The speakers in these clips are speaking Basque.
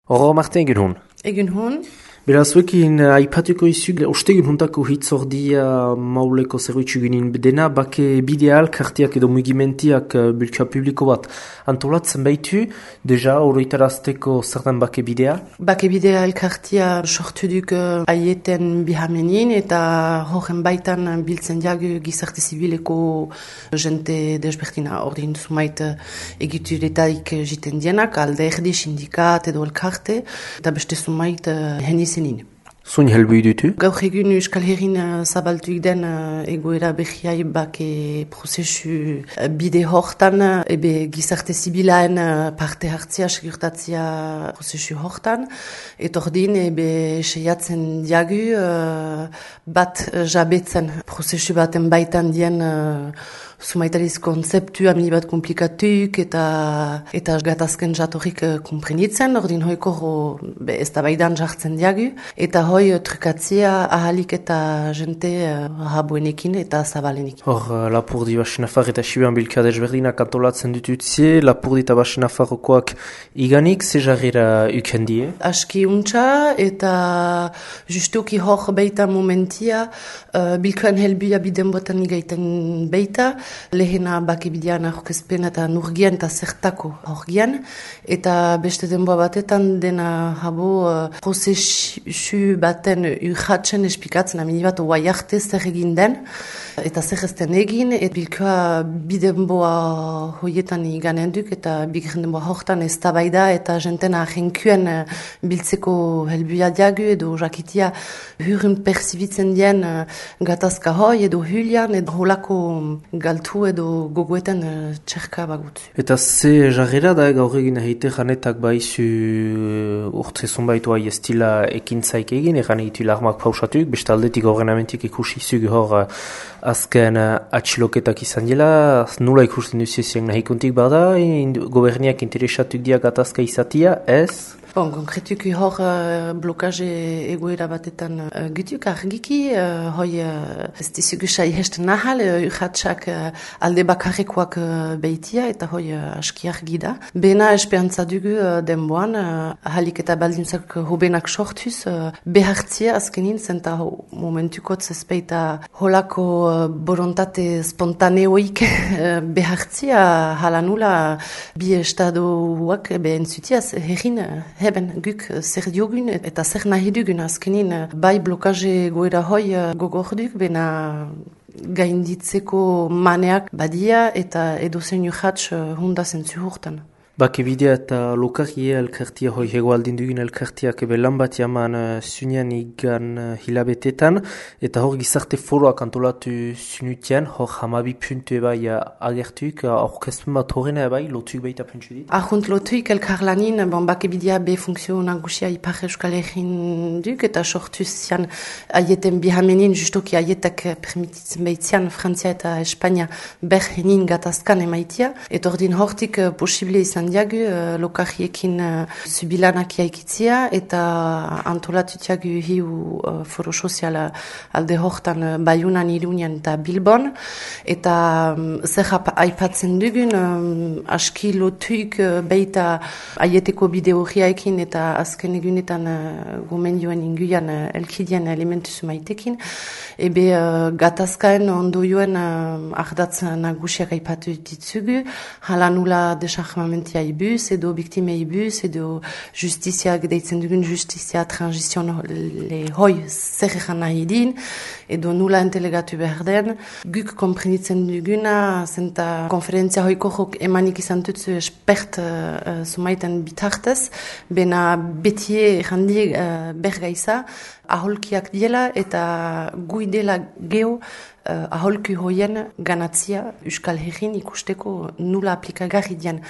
Horro Martin egun hon. Egun hon. Beraz, zuekin aipatuko izuk, ostegun hontako hitzordia mauleko zerbitzu ginen bedena, bake bideal, kartiak edo mugimentiak bilka publiko bat antolatzen baitu, deja oroitarazteko zertan bake bidea? Bake bidea elkartia sortu duk aieten bihamenin eta horren baitan biltzen jagu gizarte zibileko jente desbertina ordin zumait egituretaik jiten dienak, alde erdi, sindikat edo elkarte, eta beste zumait heniz Zun helbui dutu? Gaur egun Euskal Herrin zabaltuik den egoera behiai bake prozesu bide hortan, ebe gizarte zibilaen parte hartzia, segurtatzia prozesu hortan, etordin ebe seiatzen diagu bat jabetzen prozesu baten baitan dien sumaitariz konzeptu amini bat komplikatuk eta gatazken jatorrik komprenitzen, ordin hoiko ez da baidan jartzen diagu, eta hoi trukatzia ahalik eta jente rabuenekin eta zabalenekin. Hor, Lapurdi Basenafar eta Sibean bilka desberdinak antolatzen ditutzie, Lapurdi eta Basenafarrokoak iganik, ze jarrera ukendie? Aski untxa eta justuki hor beita momentia bilkoan helbia biden botan igaiten beita, lehena bakebidean aurkezpen eta nurgian eta zertako horgian, eta beste denboa batetan dena habo prozesu baten urratzen espikatzen, amini bat oa jarte zer egin den, eta zer ezten egin, eta bilkoa bidenboa hoietan iganen duk, eta bigren denboa hortan ez tabaida, eta jentena ahenkuen biltzeko helbia diagu, edo jakitia hurren persibitzen dien gatazka hoi, edo hulian, edo holako galtu edo gogoetan txerka bagutzu. Eta ze jarrera da gaur egin ahite janetak baizu urtze zonbaitu hai ez dila ekintzaik egin, egan egitu larmak pausatuk, beste aldetik ordenamentik ikusi zugu hor azken atxiloketak izan dela, nula ikusten duzizien nahikuntik bada, goberniak interesatuk dia gatazka izatia, ez? Bon, konkretuki hor blokaje egoera batetan gutuk argiki, hoi ez dizugu saihest nahal, urratxak alde bakarrekoak behitia eta hoi aski argi da. Bena esperantza dugu denboan, ahalik eta baldintzak hobenak sortuz, behartzia azkenin, zenta momentukotz ezpeita holako borontate spontaneoik behartzia halanula bi estadoak entzutiaz herrin heben guk zer diogun eta zer nahi dugun azkenin bai blokaje goera hoi gogorduk, bena gainditzeko maneak badia eta edozen urratx hundazen zuhurtan. Bake bidea eta lokarie elkartia hoi hegoaldin dugun elkartiak ebe lan bat jaman zunean igan hilabetetan eta hor gizarte foroak antolatu zunutian, hor hamabi puntu ebai agertuik, aurkezpen bat horrena ebai, lotuik baita puntu dit? Ahunt lotuik elkarlanin, bake bidea be funksio nagusia ipar Euskal Herrin duk eta sortuz zian aieten bihamenin, justoki aietak permititzen behitzian Frantzia eta Espanya berhenin gatazkan emaitia, eta ordin hortik posible izan diagu lokariekin zubilanak jaikitzia eta antolatutiagu hiu foro soziala alde hortan Baiunan, Irunian eta Bilbon eta zer aipatzen dugun aski lotuik beita aieteko bide horriaekin eta azken egunetan gomendioen inguian elkidian elementu zumaitekin ebe gatazkaen ondoioen ardatz nagusiak aipatu ditzugu halanula desarmamentia ibuz, edo biktime ibuz, edo justiziak deitzen dugun justizia transizion hoi zer egan nahi din, edo nula entelegatu behar den. Guk komprenitzen duguna, zenta konferentzia hoiko jok emanik izan tutzu espert sumaiten bitartez, bena betie errandi bergaiza, aholkiak diela eta gui dela geho aholki hoien ganatzia Euskal Herrin ikusteko nula aplikagarri dian.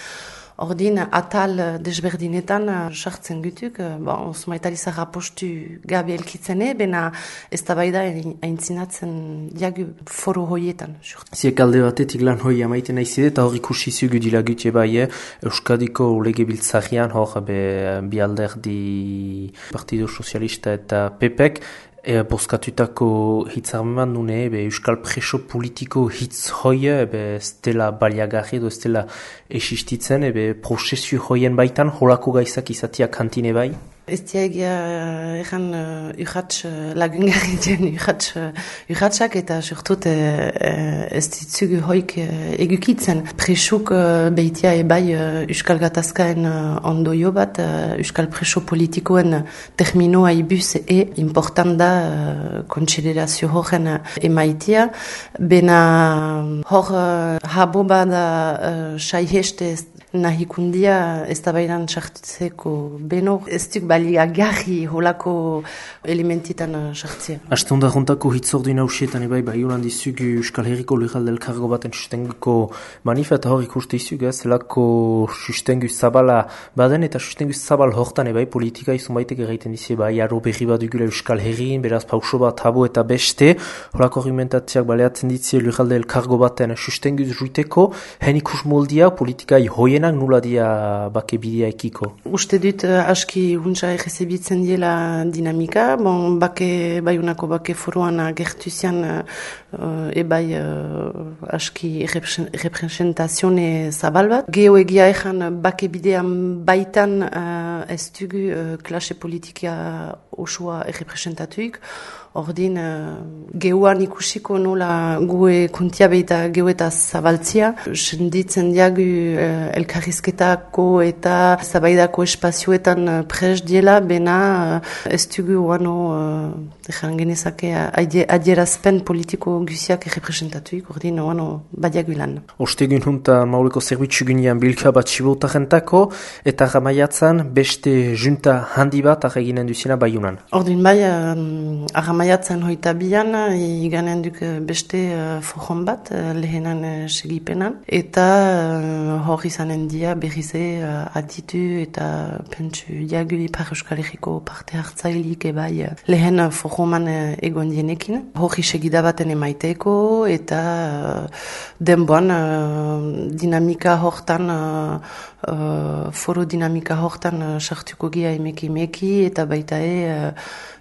Ordin, atal desberdinetan sartzen gutuk, osmaitalizak apostu gabe elkitzene, bena ez da baida aintzinatzen diagu foro hoietan. Ziek alde batetik lan hoi amaiten aizide, eta hor ikusi zugu dila gutxe bai, Euskadiko lege biltzarian, hor bi alderdi Partido Sozialista eta PPek, Bozkatutako hitzarmen nune, euskal preso politiko hitz hoia, ez dela baliagarri edo ez dela existitzen, prozesio hoien baitan, holako gaizak izatia kantine bai? Ez diagia egan urratx lagungarri dien urratxak eta surtut ez ditzugu hoik egukitzen. Presuk behitia ebai euskal gatazkaen ondoio bat, euskal preso politikoen terminoa ibuz important da kontsiderazio horren emaitia. Bena hor habo bada saiheste nahikundia ez da bairan sartzeko beno, ez duk baliagarri holako elementitan sartzea. Aste honda juntako hitzordu inausietan ebai Baionan dizug Euskal Herriko Lurralde Elkargo baten sustenguko manifeta hor ikuste izug, zelako sustengu zabala baden eta sustengu zabal hortan ebai politika izun baitek egiten dizi bai aro berri bat dugula Euskal Herrin, beraz pauso bat habo eta beste, horako argumentatziak baleatzen ditzi Lurralde Elkargo baten sustengu zuiteko, hen ikus moldia politika hoienak nula dia bake bidea ekiko? Uste dut aski huntza errezebitzen diela dinamika, bake Baionako bake foroan gertuzian ebai aski representazione zabal bat. Geo egia ezan bake bidean baitan ez dugu klase politika osoa errepresentatuik. Ordin, geuan ikusiko nola gue kuntiabeita geu eta zabaltzia. Senditzen diagu elkarrizketako eta zabaidako espazioetan pres diela, bena ez dugu oano genezake adierazpen politiko guziak errepresentatuik, ordin oano badiagu lan. Ostegun junta mauleko zerbitzu gunean bilka bat sibotarentako eta ramaiatzan beste junta handi bat eginen duzina Baionan. Ordin bai, maiatzen hoita bian, iganen duk beste fojon bat, lehenan segipenan, eta hor izanen dia berrize aditu eta pentsu diagu Ipar Euskal Herriko parte hartzailik ebai lehen fojoman egon dienekin. Hori segidabaten emaiteko eta denboan dinamika hortan, foro dinamika hortan sartuko gia emeki eta baita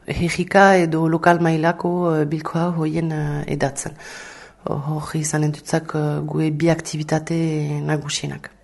herrika edo lokal mailako bilkoa hoien edatzen. Hori izanen dutzak gue bi aktivitate nagusienak.